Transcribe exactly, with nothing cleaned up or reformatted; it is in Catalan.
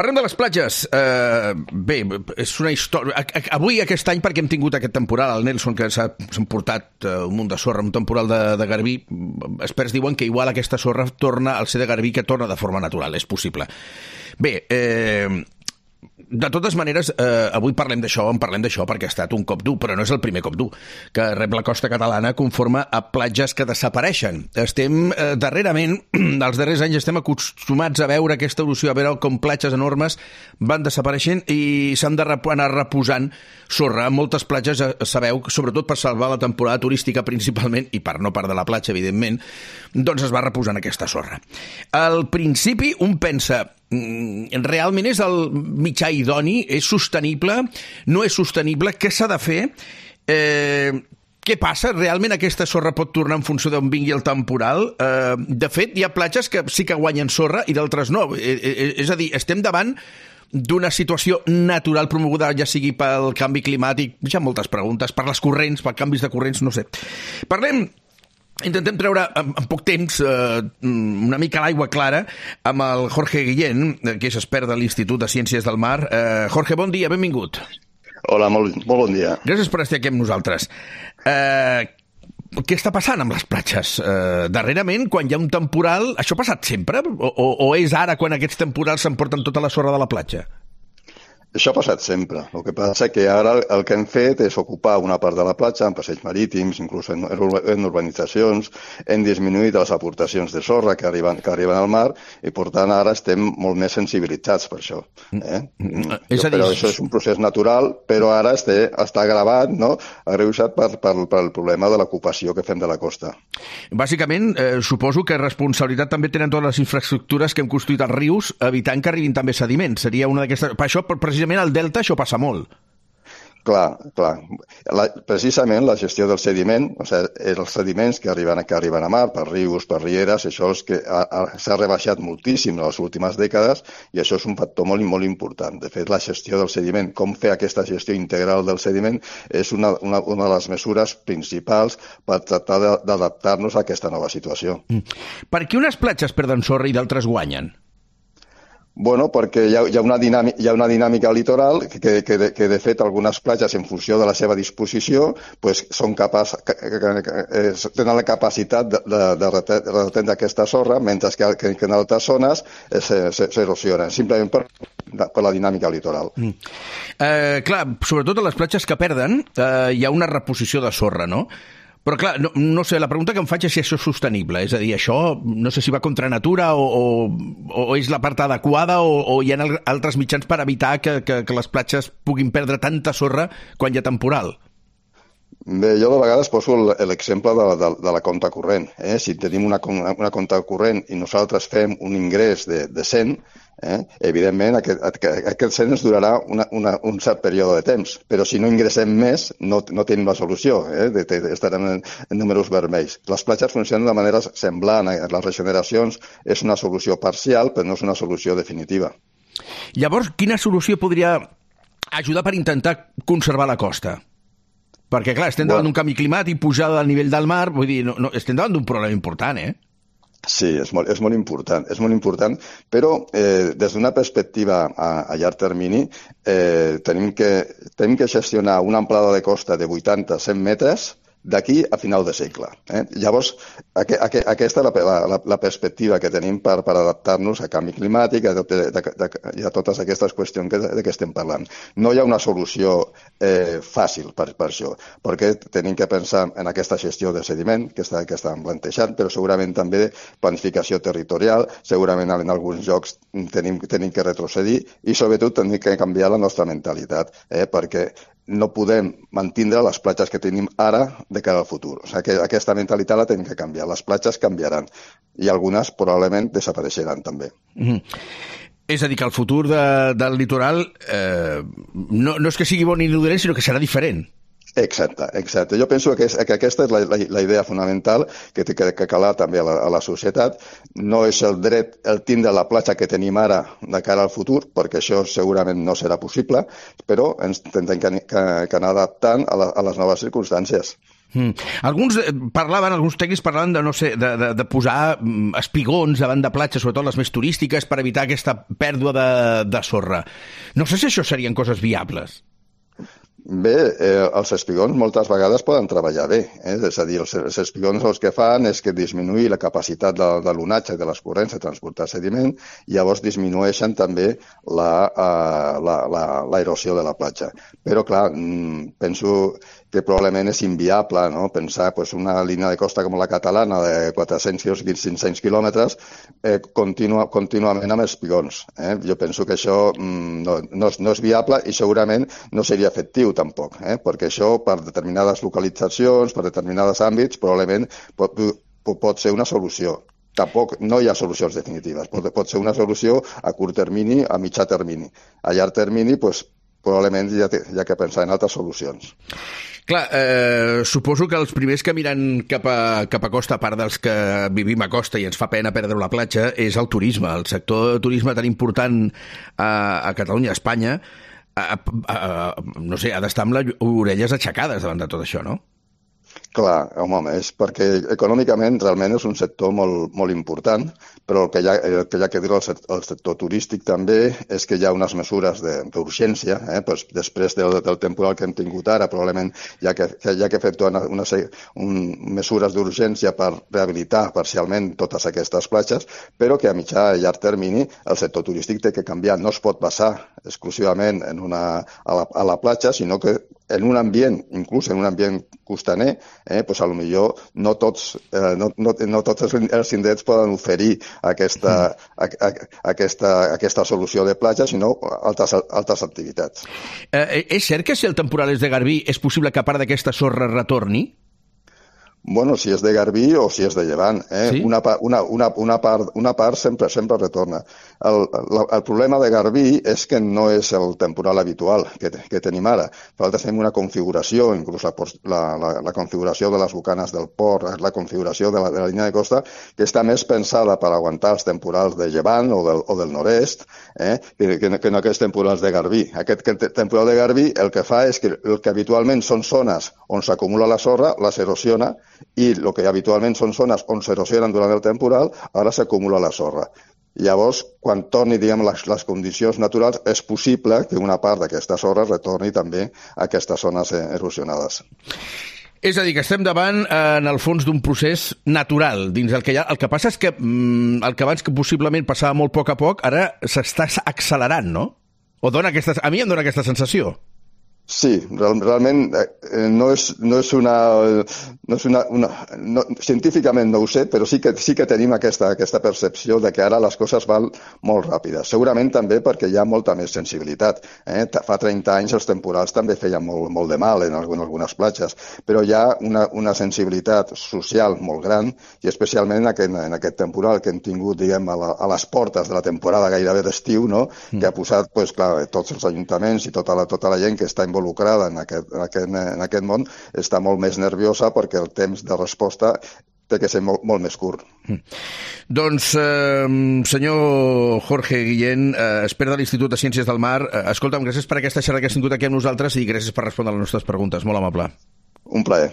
Parlem de les platges. Uh, bé, és una història... Avui, aquest any, perquè hem tingut aquest temporal, el Nelson, que s'han portat uh, un munt de sorra, un temporal de, de garbí, experts diuen que igual aquesta sorra torna al ser de garbí, que torna de forma natural. És possible. Bé, eh... de totes maneres, eh, avui parlem d'això, en parlem d'això perquè ha estat un cop dur, però no és el primer cop dur que rep la costa catalana conforme a platges que desapareixen. Estem, eh, darrerament, dels darrers anys, estem acostumats a veure aquesta evolució, a veure com platges enormes van desapareixent i s'han de rep anar reposant sorra. Moltes platges, eh, sabeu, sobretot per salvar la temporada turística principalment, i per no part de la platja, evidentment, doncs es va reposant aquesta sorra. Al principi, un pensa... realment és el mitjà idoni? És sostenible? No és sostenible? Què s'ha de fer? Eh, què passa? Realment aquesta sorra pot tornar en funció d'on vingui el temporal? Eh, de fet, hi ha platges que sí que guanyen sorra i d'altres no. Eh, eh, és a dir, estem davant d'una situació natural promoguda, ja sigui pel canvi climàtic, ja moltes preguntes, per les corrents, per canvis de corrents, no sé. Parlem... Intentem treure en, en poc temps eh, una mica l'aigua clara amb el Jorge Guillén, que és expert de l'Institut de Ciències del Mar. Eh, Jorge, bon dia, benvingut. Hola, molt, molt bon dia. Gràcies per estar aquí amb nosaltres. Eh, què està passant amb les platges? Eh, darrerament, quan hi ha un temporal, això ha passat sempre? O, o, o és ara quan aquests temporals s'emporten tota la sorra de la platja? Això ha passat sempre. El que passa que ara el que hem fet és ocupar una part de la platja en passeigs marítims, inclús en, en urbanitzacions, hem disminuït les aportacions de sorra que arriben, que arriben al mar i, per tant, ara estem molt més sensibilitzats per això. Eh? És a dir... Però això és un procés natural, però ara este, està agravat, no? agreujat per, per, per el problema de l'ocupació que fem de la costa. Bàsicament, eh, suposo que responsabilitat també tenen totes les infraestructures que hem construït als rius, evitant que arribin també sediments. Seria una d'aquestes... Per això, precisament, al delta això passa molt. Clar, clar. La, precisament la gestió del sediment, o sigui, els sediments que arriben, que arriben a mar, per rius, per rieres, això és que s'ha rebaixat moltíssim en les últimes dècades i això és un factor molt, molt important. De fet, la gestió del sediment, com fer aquesta gestió integral del sediment, és una, una, una de les mesures principals per tractar d'adaptar-nos a aquesta nova situació. Mm. Per què unes platges perden sorra i d'altres guanyen? Bueno, perquè hi ha, hi ha, una, dinàmica, hi ha una dinàmica litoral que, que, que, de, que, de fet, algunes platges, en funció de la seva disposició, pues, són capaç, que, que, que, tenen la capacitat de, de, de retendre aquesta sorra, mentre que, que, que en altres zones s'erosionen, simplement per, per la dinàmica litoral. Mm. Eh, clar, sobretot a les platges que perden, eh, hi ha una reposició de sorra, no? Però clar, no, no sé, la pregunta que em faig és si això és sostenible, és a dir, això no sé si va contra natura o, o, o és la part adequada o, o hi ha altres mitjans per evitar que, que, que les platges puguin perdre tanta sorra quan hi ha temporal. Bé, jo de vegades poso l'exemple de, de, de la compta corrent. Eh? Si tenim una, una compta corrent i nosaltres fem un ingrés de, de cent, eh? evidentment aquest, aquest cent ens durarà una, una, un cert període de temps, però si no ingressem més no, no tenim la solució, eh? de, de, estarem en, en números vermells. Les platges funcionen de manera semblant, eh? les regeneracions és una solució parcial, però no és una solució definitiva. Llavors, quina solució podria ajudar per intentar conservar la costa? Perquè, clar, estem davant bueno. d'un canvi climàtic, pujada del nivell del mar, vull dir, no, no, estem davant d'un problema important, eh? Sí, és molt, és molt important, és molt important, però eh, des d'una perspectiva a, a llarg termini eh, tenim, que, tenim que gestionar una amplada de costa de vuitanta a cent metres d'aquí a final de segle. Eh? Llavors, aqu aqu aquesta és la, la, la perspectiva que tenim per, per adaptar-nos a canvi climàtic a, de, de, de, i a totes aquestes qüestions que, de què estem parlant. No hi ha una solució eh, fàcil per, per això, perquè tenim que pensar en aquesta gestió de sediment que, està, que estan plantejant, però segurament també planificació territorial, segurament en alguns llocs tenim, tenim que retrocedir i sobretot tenim que canviar la nostra mentalitat, eh? perquè no podem mantindre les platges que tenim ara de cara al futur. O sigui, que aquesta mentalitat la tenim que canviar. Les platges canviaran i algunes probablement desapareixeran també. Mm-hmm. És a dir, que el futur de, del litoral eh, no, no és que sigui bon ni dolent, sinó que serà diferent. Exacte, exacte. Jo penso que, és, que aquesta és la, la, la idea fonamental que té que, que calar també a la, a la societat. No és el dret el tindre la platja que tenim ara de cara al futur, perquè això segurament no serà possible, però ens tindrem que, que, que anar adaptant a, la, a les noves circumstàncies. Mm. Alguns parlaven, alguns tècnics parlaven de, no sé, de, de, de posar espigons davant de platges, sobretot les més turístiques, per evitar aquesta pèrdua de, de sorra. No sé si això serien coses viables. Bé, eh, els espigons moltes vegades poden treballar bé, eh? És a dir, els, els espigons el que fan és que disminuir la capacitat de, de l'onatge i de les corrents de transportar sediment i llavors disminueixen també l'aerosió la, la, la, de la platja. Però, clar, penso que probablement és inviable, no? Pensar pues, una línia de costa com la catalana de quatre-cents o cinc-cents quilòmetres eh, continua, contínuament amb espigons. Eh? Jo penso que això mm, no, no, és, no és viable i segurament no seria efectiu tampoc, eh? Perquè això per determinades localitzacions, per determinats àmbits, probablement pot, pot ser una solució. Tampoc no hi ha solucions definitives. Pot, pot ser una solució a curt termini, a mitjà termini. A llarg termini, pues, probablement hi ha, hi ha que pensar en altres solucions. Clar, eh, suposo que els primers que miren cap a, cap a costa, a part dels que vivim a costa i ens fa pena perdre la platja, és el turisme. El sector de turisme tan important a, a Catalunya, a Espanya, a, a, a, no sé, ha d'estar amb les orelles aixecades davant de tot això, no? Clar, home, és perquè econòmicament realment és un sector molt, molt important, però el que hi ha, el que, hi ha que dir al sector, sector turístic també és que hi ha unes mesures d'urgència, eh? Pues després del, del temporal que hem tingut ara, probablement hi ha que, hi ha que efectuar una, una, un, mesures d'urgència per rehabilitar parcialment totes aquestes platges, però que a mitjà i llarg termini el sector turístic té que canviar. No es pot basar exclusivament en una, a, la, a la platja, sinó que en un ambient, inclús en un ambient costaner, eh, pues a lo millor no tots, eh, no, no, no tots els indrets poden oferir aquesta, a, a, aquesta, aquesta solució de platja, sinó altres, altres activitats. Eh, és cert que si el temporal és de Garbí és possible que a part d'aquesta sorra retorni? Bueno, si és de Garbí o si és de Llevant. Eh? Sí? Una, una, una, una, part, una part sempre sempre retorna. El, el, el problema de Garbí és que no és el temporal habitual que, que tenim ara. Nosaltres tenim una configuració, inclús la, la, la, la configuració de les bocanes del port, la configuració de la, de la línia de costa, que està més pensada per aguantar els temporals de Llevant o del, o del nord-est, eh? que, que, que no aquests temporals de Garbí. Aquest temporal de Garbí el que fa és que el que habitualment són zones on s'acumula la sorra, les erosiona, i el que habitualment són zones on s'erosionen durant el temporal, ara s'acumula la sorra. Llavors, quan torni, diguem, les, les condicions naturals, és possible que una part d'aquesta sorra retorni també a aquestes zones erosionades. És a dir, que estem davant, en el fons, d'un procés natural dins el que hi ha. El que passa és que mm, el que abans que possiblement passava molt a poc a poc, ara s'està accelerant, no? O dona aquesta... A mi em dona aquesta sensació. Sí, real, realment eh, no és, no és una... No és una, una no, científicament no ho sé, però sí que, sí que tenim aquesta, aquesta percepció de que ara les coses van molt ràpides. Segurament també perquè hi ha molta més sensibilitat. Eh? Fa trenta anys els temporals també feien molt, molt de mal en algunes platges, però hi ha una, una sensibilitat social molt gran i especialment en aquest, en aquest temporal que hem tingut, diguem, a, la, a les portes de la temporada gairebé d'estiu, no? Mm. Que ha posat, pues, clar, tots els ajuntaments i tota la, tota la gent que està involucrada involucrada en aquest, en, aquest, en aquest món està molt més nerviosa perquè el temps de resposta té que ser molt, molt més curt. Mm. Doncs, eh, senyor Jorge Guillén, eh, expert de l'Institut de Ciències del Mar, eh, escolta'm, gràcies per aquesta xerrada que has tingut aquí amb nosaltres i gràcies per respondre a les nostres preguntes. Molt amable. Un plaer.